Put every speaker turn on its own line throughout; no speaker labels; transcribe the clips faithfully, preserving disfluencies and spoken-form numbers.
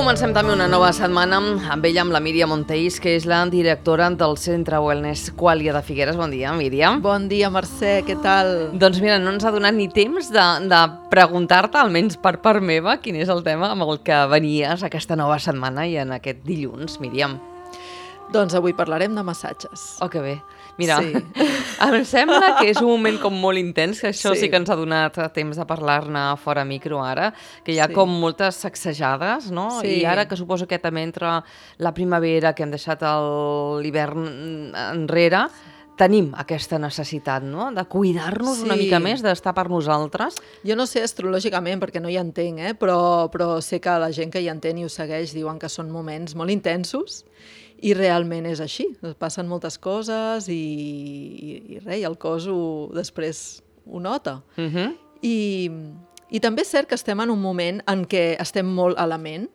comencem també una nova setmana amb ella, amb la Míriam Monteis, que és la directora del Centre Wellness Qualia de Figueres. Bon dia, Míriam.
Bon dia, Mercè, què tal?
Doncs mira, no ens ha donat ni temps de, de preguntar-te, almenys per part meva, quin és el tema amb el que venies aquesta nova setmana i en aquest dilluns, Míriam.
Doncs avui parlarem de massatges.
Oh, que bé. Mira,
sí.
Em sembla que és un moment com molt intens, que això sí,
sí
que ens ha donat temps de parlar-ne fora micro ara, que hi ha
sí.
com moltes sacsejades, no?
Sí.
I ara que suposo que també entra la primavera, que hem deixat l'hivern enrere, tenim aquesta necessitat, no?, de cuidar-nos sí. una mica més, d'estar per nosaltres.
Jo no sé astrològicament, perquè no hi entenc, eh? però, però sé que la gent que hi entén i ho segueix diuen que són moments molt intensos i realment és així. Passen moltes coses i, i, i res, i el cos ho, després ho nota.
Uh-huh.
I, I també és cert que estem en un moment en què estem molt a la ment,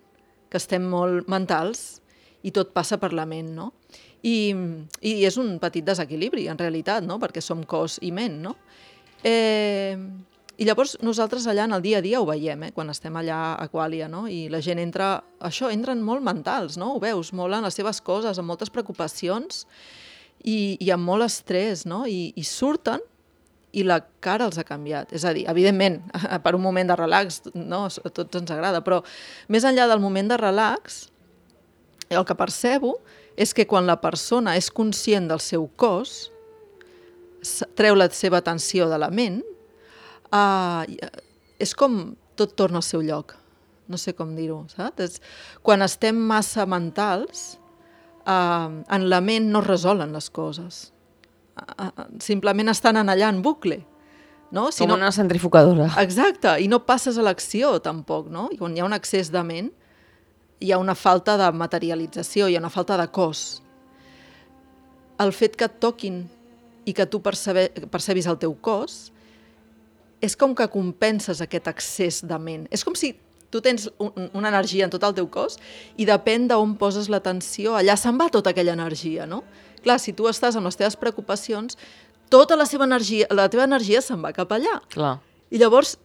que estem molt mentals i tot passa per la ment, no? I, i és un petit desequilibri, en realitat, no? Perquè som cos i ment, no? Eh, I llavors nosaltres allà en el dia a dia ho veiem, eh? Quan estem allà a Qualia, no? I la gent entra, això, entren molt mentals, no? Ho veus, molt en les seves coses, amb moltes preocupacions i, i amb molt estrès, no? I, i surten i la cara els ha canviat. És a dir, evidentment, per un moment de relax, no? A tots ens agrada, però més enllà del moment de relax, el que percebo és que quan la persona és conscient del seu cos, treu la seva atenció de la ment, eh, és com tot torna al seu lloc. No sé com dir-ho, saps? És, quan estem massa mentals, eh, en la ment no es resolen les coses. Eh, simplement estan en allà en bucle. No? Si
com
no...
una centrifugadora.
Exacte, i no passes a l'acció tampoc, no? I quan hi ha un excés de ment, hi ha una falta de materialització, hi ha una falta de cos. El fet que et toquin i que tu percebe, percebis el teu cos és com que compenses aquest excés de ment. És com si tu tens un, una energia en tot el teu cos i depèn d'on poses l'atenció, allà se'n va tota aquella energia, no? Clar, si tu estàs amb les teves preocupacions, tota la, seva energia, la teva energia se'n va cap allà.
Clar.
I llavors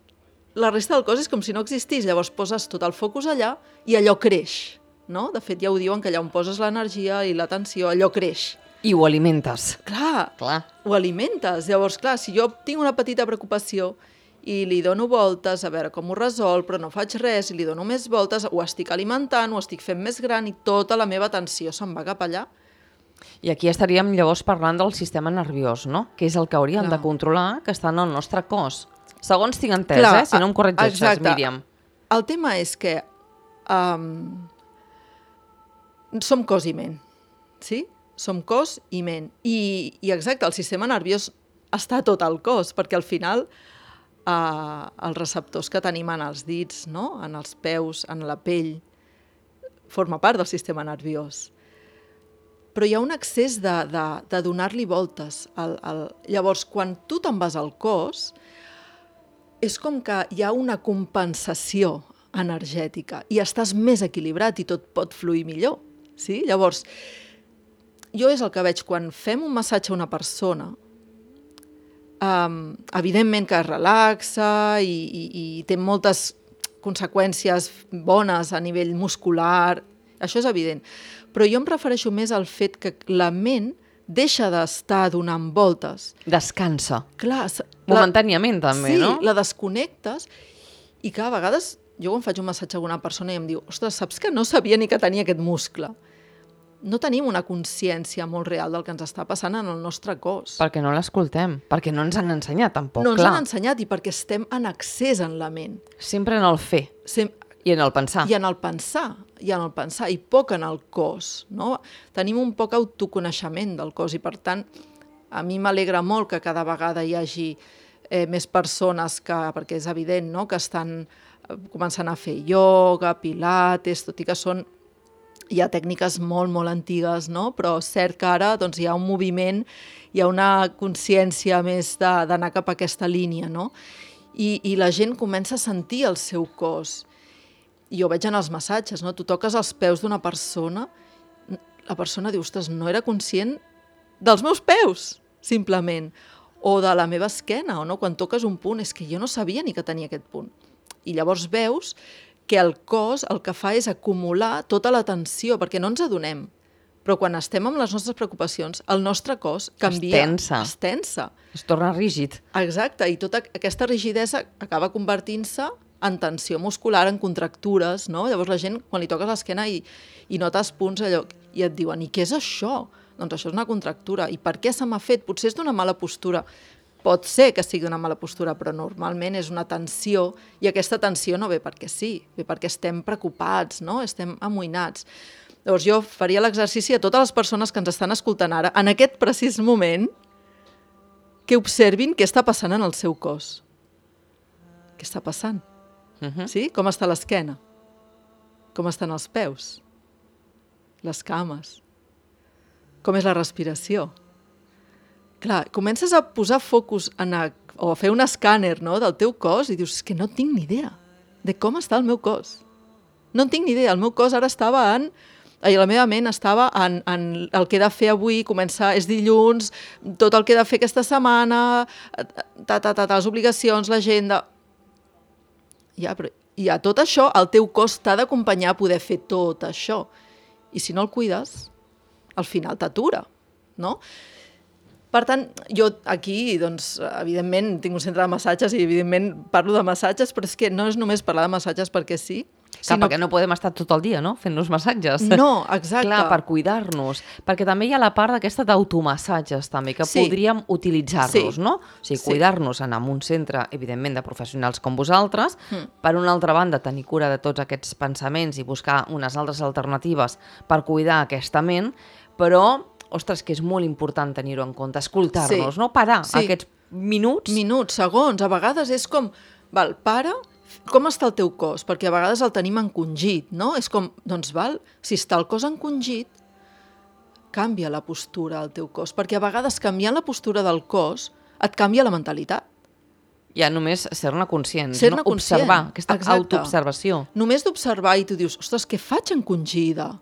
la resta del cos és com si no existís, llavors poses tot el focus allà i allò creix, no? De fet, ja ho diuen, que allà on poses l'energia i l'atenció, allò creix.
I ho alimentes.
Clar,
clar,
ho alimentes. Llavors, clar, si jo tinc una petita preocupació i li dono voltes a veure com ho resol, però no faig res i li dono més voltes, ho estic alimentant, ho estic fent més gran i tota la meva atenció se'n va cap allà.
I aquí estaríem llavors parlant del sistema nerviós, no? Que és el que hauríem clar. de controlar, que està en el nostre cos. Segons tinc entès, clar, eh? Si no em corregeixes, exacte. Míriam.
El tema és que um, som cos i ment, sí? Som cos i ment. I, I exacte, el sistema nerviós està tot al cos, perquè al final uh, els receptors que tenim en els dits, no? En els peus, en la pell, forma part del sistema nerviós. Però hi ha un excés de, de, de donar-li voltes. Al, al... Llavors, quan tu te'n vas al cos, és com que hi ha una compensació energètica i estàs més equilibrat i tot pot fluir millor. Sí? Llavors, jo és el que veig quan fem un massatge a una persona, um, evidentment que es relaxa i, i, i té moltes conseqüències bones a nivell muscular, això és evident, però jo em refereixo més al fet que la ment deixa d'estar donant voltes.
Descansa.
Clar,
momentàniament la, també,
sí,
no?
Sí, la desconnectes i que a vegades jo quan faig un massatge a una persona i em diu, ostres, saps que no sabia ni que tenia aquest muscle? No tenim una consciència molt real del que ens està passant en el nostre cos.
Perquè no l'escoltem, perquè no ens han ensenyat tampoc,
no
clar.
No ens han ensenyat i perquè estem en accés en la ment.
Sempre en el fer.
Sem
I en el pensar.
I en el pensar, i en el pensar, i poc en el cos, no? Tenim un poc autoconeixement del cos i, per tant, a mi m'alegra molt que cada vegada hi hagi eh, més persones que, perquè és evident, no?, que estan eh, començant a fer ioga, pilates, tot i que són, hi ha tècniques molt, molt antigues, no?, però cert que ara doncs, hi ha un moviment, hi ha una consciència més d'anar cap a aquesta línia, no? I, i la gent comença a sentir el seu cos. I jo veig en els massatges, no? Tu toques els peus d'una persona, la persona diu, ostres, no era conscient dels meus peus, simplement, o de la meva esquena, o no? Quan toques un punt, és que jo no sabia ni que tenia aquest punt. I llavors veus que el cos el que fa és acumular tota la tensió, perquè no ens adonem. Però quan estem amb les nostres preocupacions, el nostre cos canvia.
Es tensa.
Es tensa.
Es torna rígid.
Exacte, i tota aquesta rigidesa acaba convertint-se en tensió muscular, en contractures, no? Llavors la gent, quan li toques l'esquena i, i notes punts allò, i et diuen, i què és això? Doncs això és una contractura. I per què se m'ha fet? Potser és d'una mala postura. Pot ser que sigui una mala postura, però normalment és una tensió, i aquesta tensió no ve perquè sí, ve perquè estem preocupats, no? Estem amoïnats. Llavors jo faria l'exercici a totes les persones que ens estan escoltant ara, en aquest precís moment, que observin què està passant en el seu cos. Què està passant?
Uh-huh.
Sí? Com està l'esquena? Com estan els peus? Les cames? Com és la respiració? Clar, comences a posar focus en a, o a fer un escàner, no, del teu cos i dius, és que no tinc ni idea de com està el meu cos. No en tinc ni idea. El meu cos ara estava en... I la meva ment estava en, en el que he de fer avui, començar, és dilluns, tot el que he de fer aquesta setmana, ta, ta, ta, ta, les obligacions, l'agenda... Ja, però, I a tot això, el teu cos t'ha d'acompanyar a poder fer tot això. I si no el cuides, al final t'atura, no? Per tant, jo aquí, doncs, evidentment, tinc un centre de massatges i, evidentment, parlo de massatges, però és que no és només parlar de massatges perquè sí.
Clar, sinó... perquè no podem estar tot el dia, no?, fent-nos massatges.
No, exacte.
Clar, per cuidar-nos. Perquè també hi ha la part d'aquesta d'automassatges, també, que sí. podríem utilitzar-los, sí. no? O sigui, sí. cuidar-nos, anar a un centre, evidentment, de professionals com vosaltres, mm. per una altra banda, tenir cura de tots aquests pensaments i buscar unes altres alternatives per cuidar aquesta ment, però... Ostres, que és molt important tenir-ho en compte, escoltar-nos, sí. no? Parar sí. aquests minuts.
Minuts, segons. A vegades és com, val, para, com està el teu cos? Perquè a vegades el tenim encongit, no? És com, doncs val, si està el cos encongit, canvia la postura del teu cos, perquè a vegades canviant la postura del cos et canvia la mentalitat.
Ja només ser-ne conscient,
ser-ne
no?
conscient.
Observar, aquesta
Exacte.
autoobservació.
Només d'observar i tu dius, ostres, què faig encongida?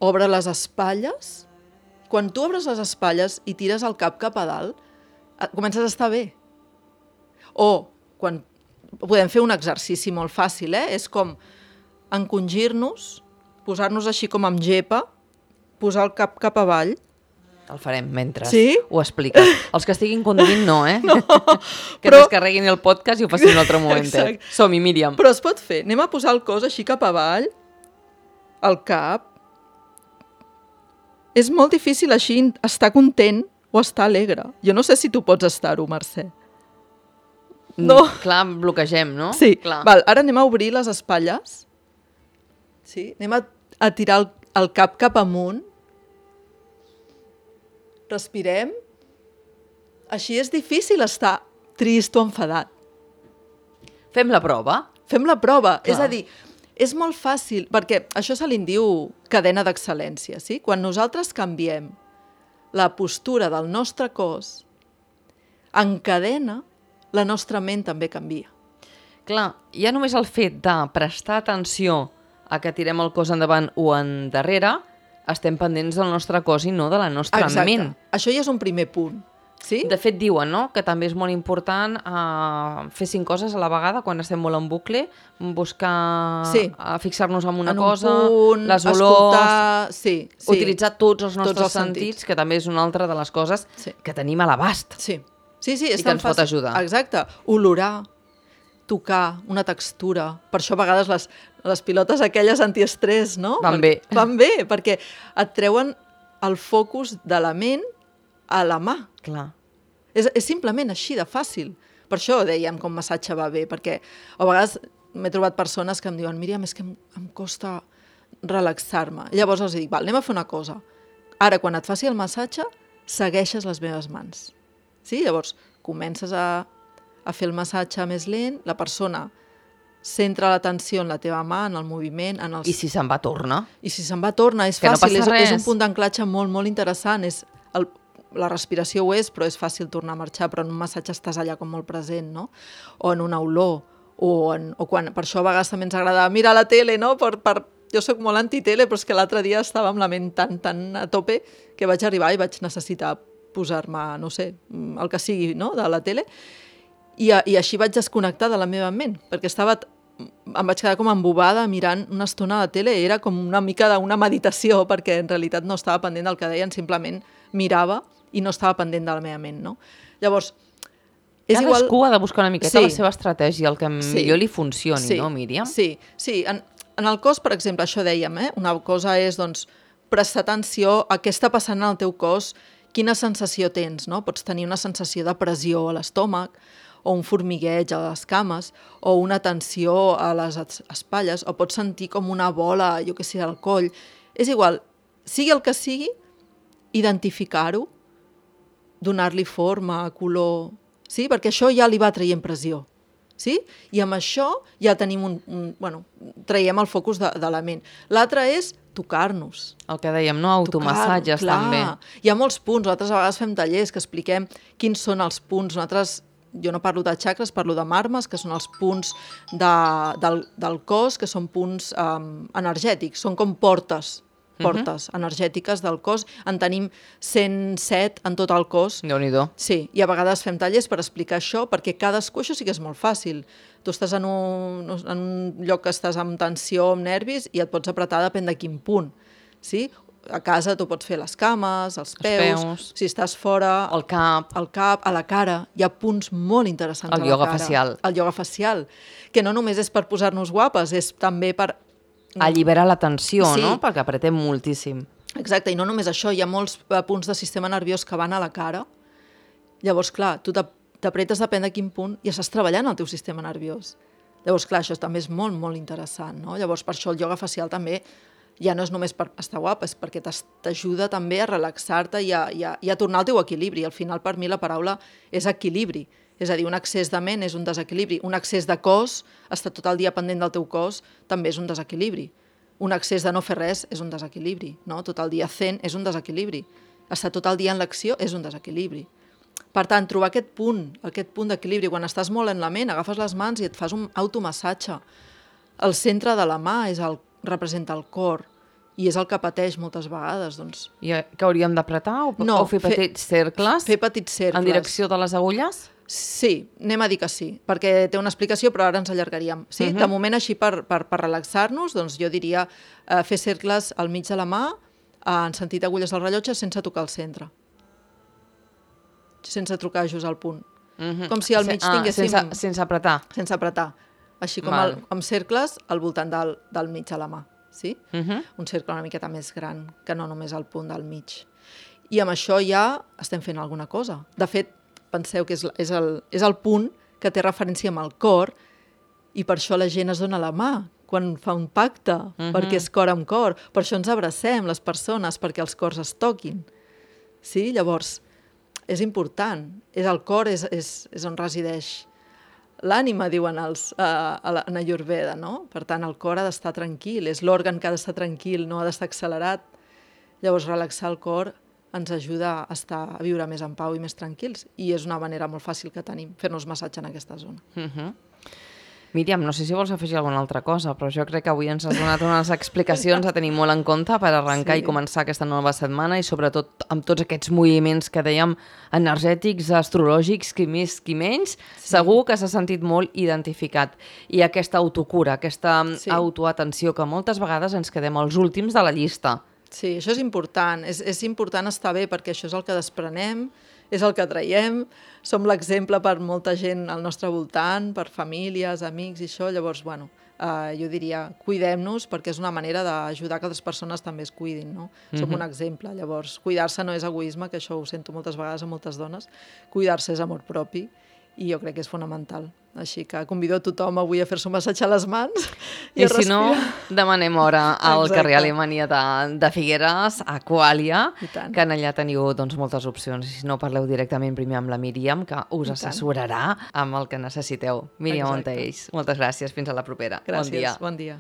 Obre les espatlles... Quan tu obres les espatlles i tires el cap cap a dalt, comences a estar bé. O, quan podem fer un exercici molt fàcil, eh? És com encongir-nos, posar-nos així com amb gepa, posar el cap cap avall.
El farem mentre
sí?
ho expliques. Els que estiguin conduint no, eh?
No,
que però... descarreguin el podcast i ho facin un altre moment. Som-hi, Míriam.
Però es pot fer. Anem a posar el cos així cap avall, el cap. És molt difícil així estar content o estar alegre. Jo no sé si tu pots estar-ho, Mercè.
No. Mm, clar, bloquegem, no?
Sí.
Clar.
Val, ara anem a obrir les espatlles. Sí? Anem a, a tirar el, el cap cap amunt. Respirem. Així és difícil estar trist o enfadat.
Fem la prova.
Fem la prova.
Clar.
És a dir... És molt fàcil, perquè això se li diu cadena d'excel·lència, sí? Quan nosaltres canviem la postura del nostre cos, en cadena, la nostra ment també canvia.
Clar, ja només el fet de prestar atenció a que tirem el cos endavant o endarrere, estem pendents del nostre cos i no de la nostra
Exacte.
ment.
Això ja és un primer punt. Sí?
De fet, diuen, no?, que també és molt important uh, fer cinc coses a la vegada quan estem molt en bucle, buscar,
sí.
uh, fixar-nos en una
en
cosa,
punt,
les olors,
escoltar... sí, sí.
utilitzar tots els nostres
tots els
sentits, sentits, que també és una altra de les coses sí. que tenim a l'abast.
Sí, sí, sí és
i que ens
fàcil.
pot ajudar.
Exacte. Olorar, tocar, una textura. Per això a vegades les, les pilotes aquelles antiestrès, no?
Van bé.
Van bé, perquè et treuen el focus de la ment a la mà.
Clar.
És, és simplement així de fàcil. Per això dèiem que un massatge va bé, perquè a vegades m'he trobat persones que em diuen Míriam, és que em, em costa relaxar-me. Llavors els dic, val, anem a fer una cosa. Ara, quan et faci el massatge, segueixes les meves mans. Sí? Llavors, comences a, a fer el massatge més lent, la persona centra l'atenció en la teva mà, en el moviment, en els...
I si se'n va, torna.
I si se'n va, torna. És
que
fàcil,
no
és, és un punt d'anclatge molt, molt interessant. És el, la respiració ho és, però és fàcil tornar a marxar, però en un massatge estàs allà com molt present, no? O en una olor, o, en, o quan... Per això a vegades també ens agrada mirar la tele, no? Per, per, jo sóc molt antitele, però és que l'altre dia estava amb la ment tan, tan a tope que vaig arribar i vaig necessitar posar-me, no sé, el que sigui, no?, de la tele, i, i així vaig desconnectar de la meva ment, perquè estava em vaig quedar com embobada mirant una estona de tele, era com una mica d'una meditació, perquè en realitat no estava pendent del que deien, simplement mirava i no estava pendent de la meva ment, no? Llavors, és
Cadascú
igual...
ha de buscar una miqueta
sí.
la seva estratègia, el que
sí.
millor li funcioni,
sí.
no, Míriam?
Sí, sí. En, en el cos, per exemple, això dèiem, eh? Una cosa és, doncs, prestar atenció a què està passant en el teu cos, quina sensació tens, no? Pots tenir una sensació de pressió a l'estómac, o un formigueig a les cames, o una tensió a les espatlles, o pots sentir com una bola, jo què sé, al coll. És igual, sigui el que sigui, identificar-ho, donar-li forma, color... Sí? Perquè això ja li va traient pressió. Sí? I amb això ja tenim un... un bueno, traiem el focus de, de la ment. L'altre és tocar-nos.
El que dèiem, no? Automassatges, també.
Hi ha molts punts. Nosaltres a vegades fem tallers que expliquem quins són els punts. Nosaltres, jo no parlo de xacres, parlo de marmes, que són els punts de, del, del cos, que són punts um, energètics. Són com portes. portes uh-huh. energètiques del cos. En tenim cent set en tot el cos.
Déu-n'hi-do.
Sí, i a vegades fem tallers per explicar això, perquè cadascú, això sí que és molt fàcil. Tu estàs en un, en un lloc que estàs amb tensió, amb nervis, i et pots apretar depèn de quin punt. Sí? A casa tu pots fer les cames, els peus,
els peus.
Si estàs fora...
El cap.
El cap, a la cara. Hi ha punts molt interessants
el
a la cara.
El ioga facial.
El ioga facial. Que no només és per posar-nos guapes, és també per...
alliberar la tensió,
sí.
no? Perquè apretem moltíssim.
Exacte, i no només això, hi ha molts punts de sistema nerviós que van a la cara. Llavors, clar, tu t'apretes depèn de quin punt i estàs treballant el teu sistema nerviós. Llavors, clar, això també és molt, molt interessant, no? Llavors, per això el ioga facial també ja no és només per estar guapa, és perquè t'ajuda també a relaxar-te i, i, i a tornar al teu equilibri. Al final, per mi, la paraula és equilibri. És a dir, un excés de ment és un desequilibri. Un excés de cos, estar tot el dia pendent del teu cos, també és un desequilibri. Un excés de no fer res és un desequilibri. No? Tot el dia zen és un desequilibri. Estar tot el dia en l'acció és un desequilibri. Per tant, trobar aquest punt, aquest punt d'equilibri, quan estàs molt en la ment, agafes les mans i et fas un automassatge. El centre de la mà és el, representa el cor, i és el que pateix moltes vegades. Doncs...
I que hauríem d'apretar o,
no,
o fer petits cercles?
Fer petits cercles.
En direcció de les agulles?
Sí, anem a dir que sí, perquè té una explicació, però ara ens allargaríem. Sí? Uh-huh. De moment, així, per, per, per relaxar-nos, doncs jo diria eh, fer cercles al mig de la mà, eh, en sentit agulles del rellotge, sense tocar el centre. Sense trucar just al punt. Uh-huh. Com si al mig
ah,
tinguéssim...
Sense, sense apretar.
Sense apretar. Així com el, amb cercles al voltant del, del mig de la mà. Sí? Uh-huh. Un cercle una miqueta més gran, que no només al punt del mig. I amb això ja estem fent alguna cosa. De fet, penseu que és, és, el, és el punt que té referència amb el cor i per això la gent es dona la mà quan fa un pacte, uh-huh. perquè és cor amb cor. Per això ens abracem, les persones, perquè els cors es toquin. Sí? Llavors, és important. És el cor, és, és, és on resideix l'ànima, diuen els, uh, a la, en Ayurveda, no? Per tant, el cor ha d'estar tranquil, és l'òrgan que ha d'estar tranquil, no ha d'estar accelerat. Llavors, relaxar el cor ens ajuda a, estar, a viure més en pau i més tranquils. I és una manera molt fàcil que tenim, fer-nos massatge en aquesta zona.
Uh-huh. Míriam, no sé si vols afegir alguna altra cosa, però jo crec que avui ens has donat unes explicacions a tenir molt en compte per arrencar sí. i començar aquesta nova setmana i sobretot amb tots aquests moviments que dèiem energètics, astrològics, qui més, qui menys, sí. segur que s'ha sentit molt identificat. I aquesta autocura, aquesta sí. autoatenció, que moltes vegades ens quedem els últims de la llista.
Sí, això és important. És, és important estar bé perquè això és el que desprenem, és el que traiem, som l'exemple per molta gent al nostre voltant, per famílies, amics i això. Llavors, bueno, eh, jo diria, cuidem-nos perquè és una manera d'ajudar que altres persones també es cuidin, no? Mm-hmm. Som un exemple. Llavors, cuidar-se no és egoisme, que això ho sento moltes vegades a moltes dones. Cuidar-se és amor propi i jo crec que és fonamental. Així que convido a tothom avui a fer-se un massatge a les mans i,
I
a
si
respirar.
no, demanem hora al Exacte. Carrer Alemanya de, de Figueres, a Qualia, que en allà teniu doncs, moltes opcions. I si no, parleu directament primer amb la Míriam, que us assessorarà amb el que necessiteu. Míriam Montells, moltes gràcies. Fins a la propera.
Gràcies,
bon dia.
Bon dia.